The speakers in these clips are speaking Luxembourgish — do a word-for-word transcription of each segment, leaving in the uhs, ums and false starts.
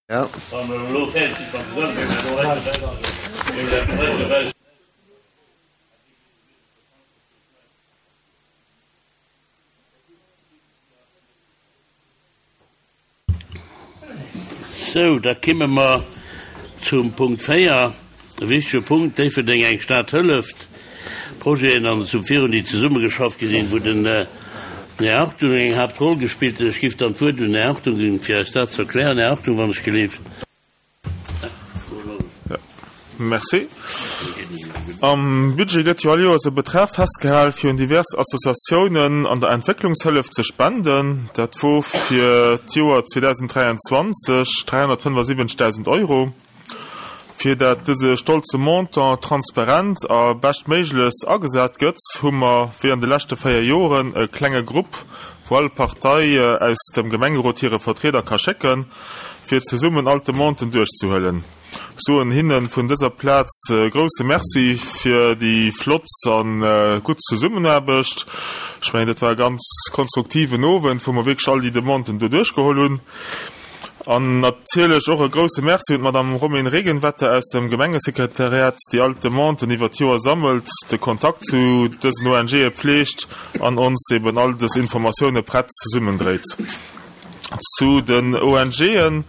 Sou, da kimme mer zum Punkt véier, e wichtege Punkt, Déifferdeng, eng Stad hëlleft, Projeten an zum virun, déi zesummegeschafft gi sinn, wou den Här Hartung eng Haaptroll gespillt huet. Ech giff dann d'Wuert un den Här Hartung ginn, fir eis dat ze erklären. Här Hartung, wann ech gelift. Merci. Am Budget gëtt jo all Joers e Betrag festgehal, fir un divers Associatiounen an der Entwécklungshëllef ze spenden. Dat wor fir d'Joer zweedausenddräianzwanzeg dräihonnertfënnefasiwwenzegdausend Euro. Fir dat dëse stolze Montant transparent a beschtméiglechst agesat gëtt, hu mer, wéi an de leschte véier Joren, e klenge Grupp, wou all Partei aus dem Gemengerot hire Vertrieder ka schécken, fir zesummen all d'Demanden duerchzehuelen. Soen hinne vun dëser Plaz e grousse Merci fir déi flott a gutt Zesummenaarbecht. Ech mengen, dat war e ganz konstruktiven Owend, wou mer wierklech all déi Demanden do duerchgeholl hunn. An natierlech och e grousse Merci un d'Madame Romaine Regenwetter aus dem Gemengesekretariat, déi all d'Demanden iwwer d'Joer sammelt, de Kontakt zu dësen O N G'e pfleegt an ons eben all dës Informatioune prett zesummendréit. Zu den O N G'en,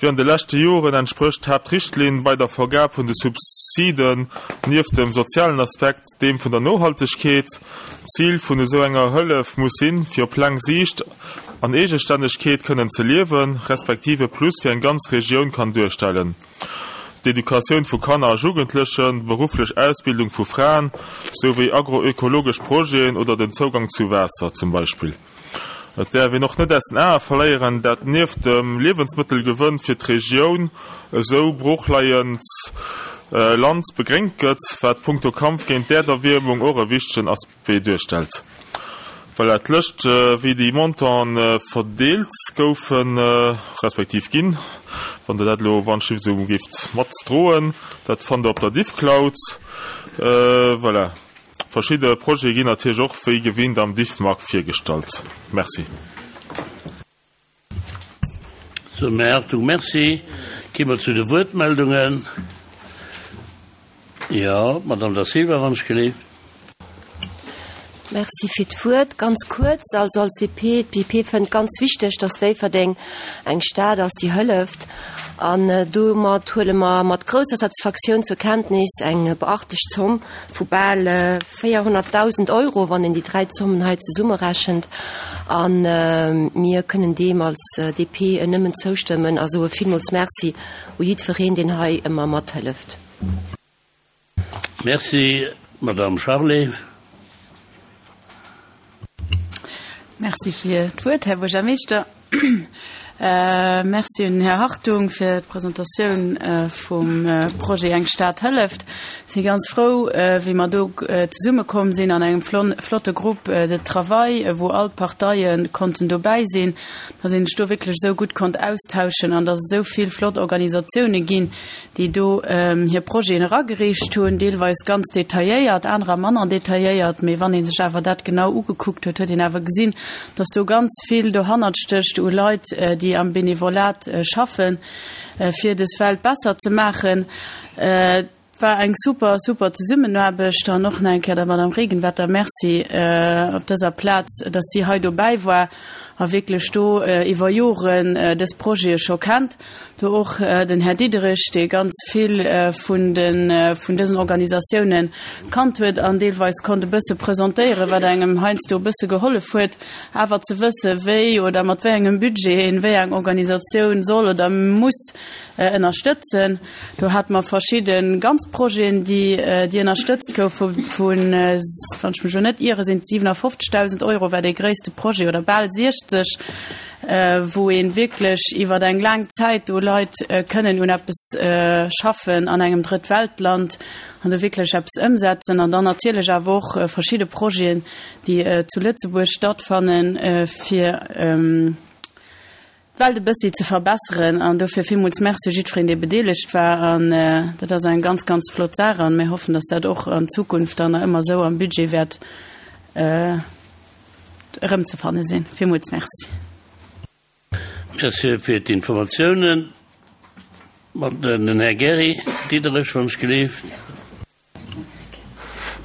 wéi an de leschte Joren entsprécht d'Haaptrichtlinn bei der Vergab vun de Subsiden nieft dem sozialen Aspekt deem vun der Nohaltegkeet. D'Zil vun esou enger Hëllef muss sinn, fir op laang Siicht an Eegestännegkeet kënnen ze liewen, respektiv e Plus fir eng ganz Regioun kann duerstellen. D'Educatioun vu Kanner a Jugendlechen, berufflech Ausbildung vu Fraen, souwéi agroökologesch Projeten oder den Zougang zu Waasser zum Beispill. Et däerf een och net aus den Ae verléieren, dat nieft dem Liewensmëttelgewënn fir d'Regioun esou broochleiend Land begréngt gëtt, wat punkto Kampf géint d'Äerderwiermung och e wichtegen Aspect duerstellt. Voilà, d'Lëscht, wéi déi Montanten verdeelt goufen, respektiv ginn, wann Der dat elo wann-schlift esou géift matdroen, dat fannt Der op der Diffcloud. Voilà, verschidde Projete ginn natierlech och wéi gewinnt am Diffmag virgestallt. Merci. Sou, Här Hartung, merci. Gi mer zu de Wuertmeldungen. Jo, d'Madame Da Silva, wann ech gelift. Merci fir d'Wuert. Ganz kuerz, also als D P, d'D P fënnt ganz wichteg, dass Déifferdeng eng Stad ass, déi hëlleft. An domat huele mer mat grousser Satisfaktioun zur Kenntnis eng beachtlech Zomm vu bal véierhonnertdausend Euro, wann een déi dräi Zommen hei zesummerechent. An mir kënnen deem als D P nëmmen zoustëmmen a soe villmools Merci u jiddwereen, deen hei ëmmer mathëlleft. Merci, Madame Charlé. Merci fir d'Wuert, Här Buergermeeschter. Merci un den Här Hartung fir d'Presentatioun vum Projet Eng Stad hëlleft. Ech si ganz frou, wéi mer do zesummekomm sinn an engem flotte Groupe de travail, wou all d'Parteie konnten dobäi sinn, dass een sech do wierklech esou gutt konnt austauschen an dass et esou vill flott Organisatioune ginn, déi do hir Projeten eragereecht hunn, deelweis ganz detailléiert, anerer manner detailléiert. Mee wann ee sech awer dat genau ugekuckt huet, huet een awer gesinn, dass do ganz vill dohannert stécht u Leit, déi am Benevolat schaffen, fir dës Welt besser ze maachen. Et war eng super, super Zesummenaarbecht an och nach eng Kéier der Madame Regenwetter Merci op dëser Plaz, dass si hei dobäi war a wierklech do iwwer Joren dës Projete scho kennt. Do och den Här Diderich, dee ganz vill vun de vun dësen Organisatiounen kannt huet an deelweis konnt e bësse presentéieren, wat engem heiansdo e bësse gehollef huet, awer ze wësse wéi oder mat wéi engem Budget een wéi eng Organisatioun soll oder muss ënnerstëtzen. Do hate mer verschidde ganz Projeten, déi déi ënnerstëtzt goufe vun, wann ech mech elo net iere, sinn et siwenafofzegdausend Euro war dee gréisste Projet oder bal siechzeg, wou een wierklech iwwer eng laang Zäit do Leit kënnen un eppes schaffen an engem Drëttweltland an do wierklech eppes ëmsetzen. An dann natierlech awer och verschidde Projeten, déi zu Lëtzebuerg stattfannen, fir d'Welt e bëssi ze verbesseren. An dofir villmools Merci jiddwereen, dee bedeelegt war. An dat ass eng ganz, ganz flott Saach. An mir hoffen, dass dat och an Zukunft dann nach ëmmer esou am Budget wäert erëmzefanne sinn. Villmools Merci. Merci fir d'Informatiounen. Den Här Gary Diderich, wann ech gelift.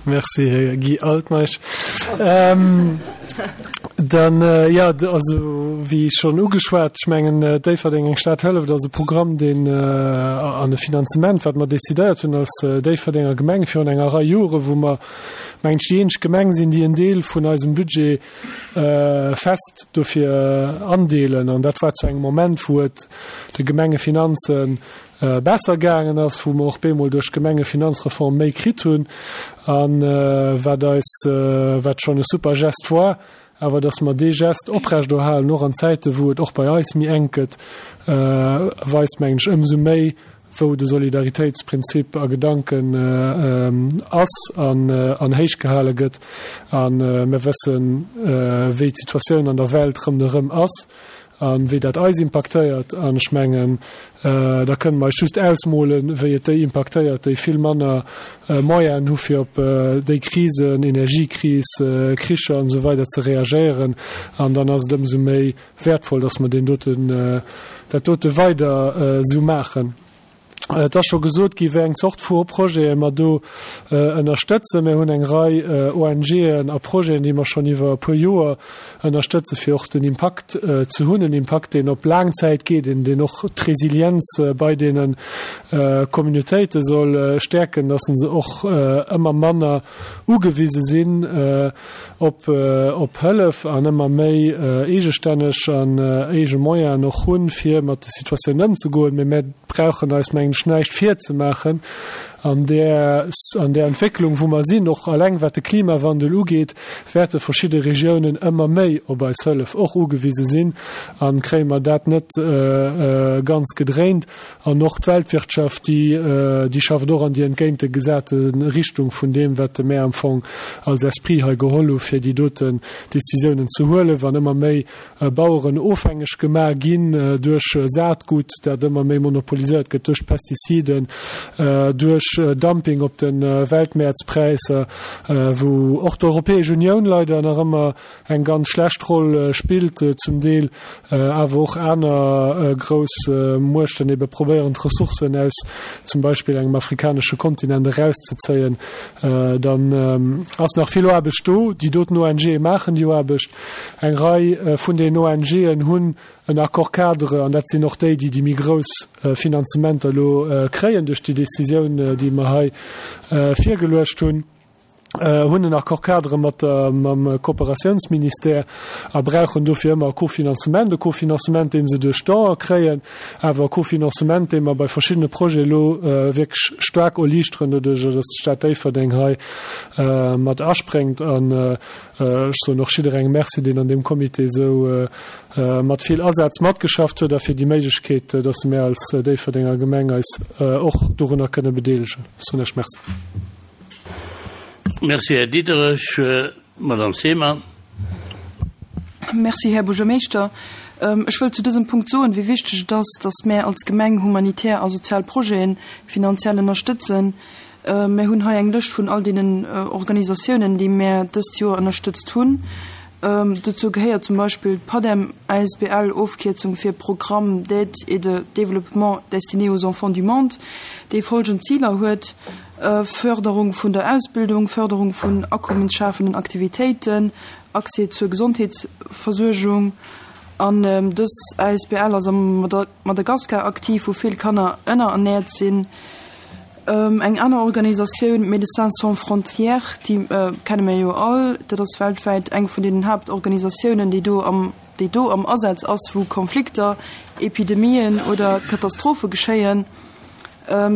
Merci, Här Guy Altmeisch. Ähm, dann, äh, ja, also, wéi schonn ugeschwat, ech mengen, äh, Déifferdeng eng Stad hëlleft ass e Programm, deen äh, an e Finanzement, wat mer decidéiert hunn als äh, Déifferdenger Gemeng virun enger Rei Jore, wou mer, mengen ech, déi eenzeg Gemeng sinn, déi en Deel vun eisem Budget äh, fest dofir andeelen. An dat war zu engem Moment, wou et de Gemengefinanzen äh, besser gaangen ass, wou mer och bemol duerch d'Gemengefinanzreform méi kritt hunn an äh, wat eis äh, wat schonn e super Gest war, awer dass mer dee Gest oprechterhalen, och an Zäite wou et och bei eis méi enk gëtt, äh, weist mengen ech ëmsou méi, wou de Solidaritéitsprinzip a Gedanken äh, ähm, ass an, äh, an héich gehale gëtt an äh, mir wëssen äh, wéi d'Situatioun an der Welt ronderëm ass an wéi dat eis impaktéiert an ech mengen äh, da kënne mer eis just ausmolen, wéi et déi impaktéiert, déi vill manner äh, Moyenen hu fir op äh, déi Krisen, Energiekris, äh, Kricher an esou weider ze reagéieren an dann ass et ëmsou méi wäertvoll, dass mer deen doten, äh, dat dote weider äh, sou maachen. Et ass scho gesot gi wéi eng Zort vu Projete mer do ënnerstëtzen. Mir hunn eng Rei ONGen a Projeten, déi mer schonn iwwer e puer Joer ënnerstëtzen, fir och den Impakt ze hunn, en Impakt, deen op laang Zäit geet, deen deen och d'Resilienz bei deene Communautéite soll stäerken, dass se och ëmmer manner ugewise sinn op op Hëllef an ëmmer méi eegestänneg an eege Moyenen och hunn, fir mat de Situatiounen ëmzegoen. Mee mir brauchen eis, mengen ech, näischt virzemaachen an där, an där Entwécklung, wou mer sinn, och alleng wat de Klimawandel ugeet, wäerte verschidde Regiounen ëmmer méi op eis Hëllef och ugewise sinn a kréie mer dat net ganz gedréint. An och d'Weltwirtschaft, déi, déi schafft och an déi entgéintegesate Richtung vun deem, wat mär am Fong als Esprit hei geholl hu fir déi doten Décisiounen ze huelen, wann ëmmer méi Baueren ofhängeg gemaach ginn duerch Saatgut, dat ëmmer méi monopoliséiert gëtt, duerch Pestiziden, duerch Dumping op de Weltmäertspräisser, wou och d'Europäesch Unioun leider nach ëmmer eng ganz schlecht Roll spillt, zum Deel awer och aner grouss Muechten ebe probéieren, d'Ressourcen aus zum Beispill engem afrikanesche Kontinent erauszezéien, dann ass nach vill Aarbecht do. Déi doten ONGe maachen déi Aarbecht. Eng Rei vun den ONGen hunn en Accord-cadre, an dat sinn och déi, déi déi méi grouss Finanzementer elo kréien duerch déi Décisioun, déi mer hei virgeluecht hunn, hunn en Accord-cadre mat der, mam Kooperatiounsministère a brauchen dofir ëmmer e Kofinanzement, e Kofinanzement, dee se duerch d'Don'e kréien, awer e Kofinanzement, dee mer bei verschiddene Projete elo wierklech staark erliichteren, doduerch datt d'Stad Déifferdeng hei mat aspréngt. An ech soen och jidderengem Merci, deen an deem Comité esou mat vill Asaz matgeschafft huet a fir déi Méiglechkeet, datt mir als Déifferdenger Gemeng eis och dorunner kënne bedeelegen. Ech soen Iech Merci. Merci, Här Diderich. Madame Seemann. Merci, Här Buergermeeschter. Ech wëll zu dësem Punkt soen, wéi wichteg et ass, datt mär als Gemeng humanitär a sozial Projete finanziell ënnerstëtzen. Mär hunn hei eng Lëscht vun all deenen Organisatiounen, déi mär dëst Joer ënnerstëtzt hunn. Dozou gehéiert zum Beispill d'PADEM asbl, Ofkierzung fir Programme d'aide et de développement destiné aux enfants du monde, déi folgend Ziler huet, Fërderung vun der Ausbildung, Fërderung vun akommensschafenden Aktivitéiten, Accès zur Gesondheetsversuergung. An dës asbl ass am Madagaskar aktiv, wou vill Kanner ënnerernäert sinn. Eng aner Organisatioun, Médecins Sans Frontières, déi kenne mir jo all. Dat ass weltwäit eng vun deenen Haaptorganisatiounen, déi do am, déi do am Asaz ass, wou Konflikter, Epidemien oder Katastrophe geschéien.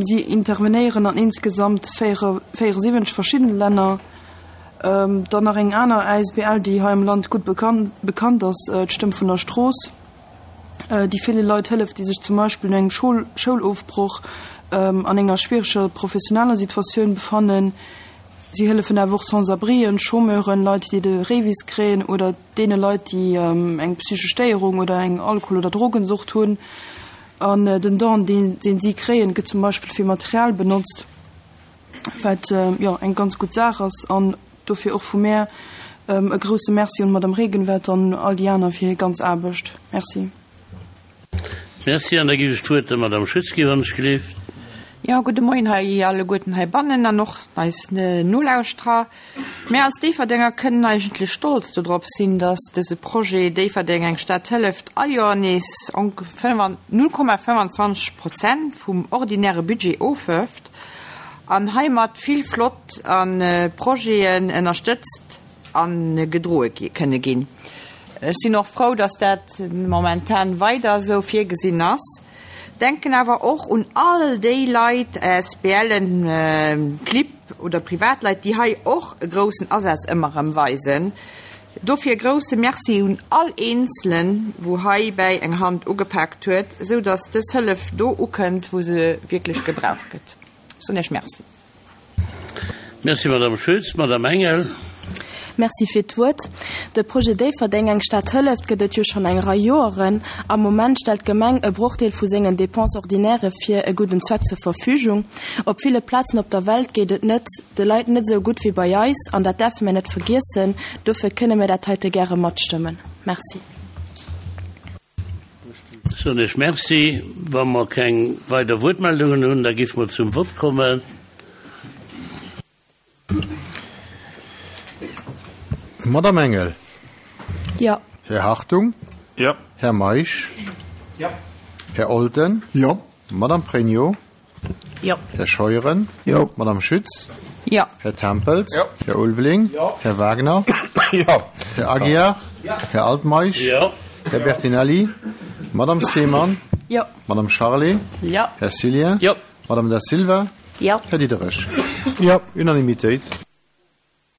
Si intervenéieren an insgesamt véieresiwwenzeg verschiddene Länner. Dann nach eng aner asbl, déi hei am Land gutt bekannt ass, d'Stëmm vun der Strooss, déi ville Leit hëlleft, déi sech zum Beispill no engem Schoulofbroch an enger schwiereger professioneller Situatioun befannen. Si hëllefen awer och Sans-abrien, Chômeuren, Leit, déi de REVIS kréien oder deene Leit, déi eng psychesch Stéierung oder eng Alkohol oder Drogensucht hunn. An den Don, deen si kréien, gëtt zum Beispill fir Material benotzt, wat jo eng ganz gutt Saach ass. An dofir och vu mär e grousse Merci un d'Madame Regenwert an all déi aner fir hir ganz Aarbecht. Merci. Merci, an da ginn ech d'Wuert der Madame Schütz gi, wann ech gelift. Jo, gudde Moien hei alleguerten heibannen an och eis Nolauschterer. Mär als Déifferdenger kënnen eigentlech stolz dodrop sinn, dass dëse Projet Déifferdeng, eng Stad hëlleft all Joer nees null Komma fënfandzwanzeg Prozent vum ordinäre Budget ofwërft an heimat vill flott Projeten ënnerstëtzt a gedroe kënne ginn. Ech sinn och frou, dass dat momentan weider esou virgesinn ass. Denken awer och un all déi Leit, ASBLen, Clibb oder Privatleit, déi hei och e groussen Asaz ëmmer erëm weisen. Dofir e grousse Merci un all Eenzelen, wou heibäi eng Hand ugepaakt huet, esou dass dës Hëllef do ukënnt, wou se wierklech gebraucht gëtt. Ech soen Iech Merci. Merci, Madame Schütz. Madame Engel. Merci fir d'Wuert. De Projet Déifferdeng, eng Stad hëlleft gëtt et jo schonn eng Rei Joeren. Am Moment stellt d'Gemeng e Brochdeel vu sengen Dépenses ordinaires fir e gudden Zweck zur Verfügung. Op ville Plazen op der Welt geet et net de Leit net esou gutt wéi bei eis, an dat däerfe mir net vergiessen. Dofir kënne mir dat heite gäre matstëmmen. Merci. Soen ech Merci. Wa mer keng weider Wuertmeldungen hunn, da géife mer zum Vott kommen. Madame Engel. Jo. Här Hartung. Jo. Här Meisch. Jo. Här Olten. Jo. Madame Pregno. Jo. Här Scheuren. Jo. Madame Schütz. Jo. Här Tempels. Jo. Här Ulveling. Jo. Här Wagner. Jo. Här Aguiar. Jo. Här Altmeisch. Jo. Här Bertinelli. Madame Seemann. Jo. Madame Charlé. Jo. Här Cillien. Jo. Madame Da Silva. Jo. Här Diderich. Jo. Unanimitéit.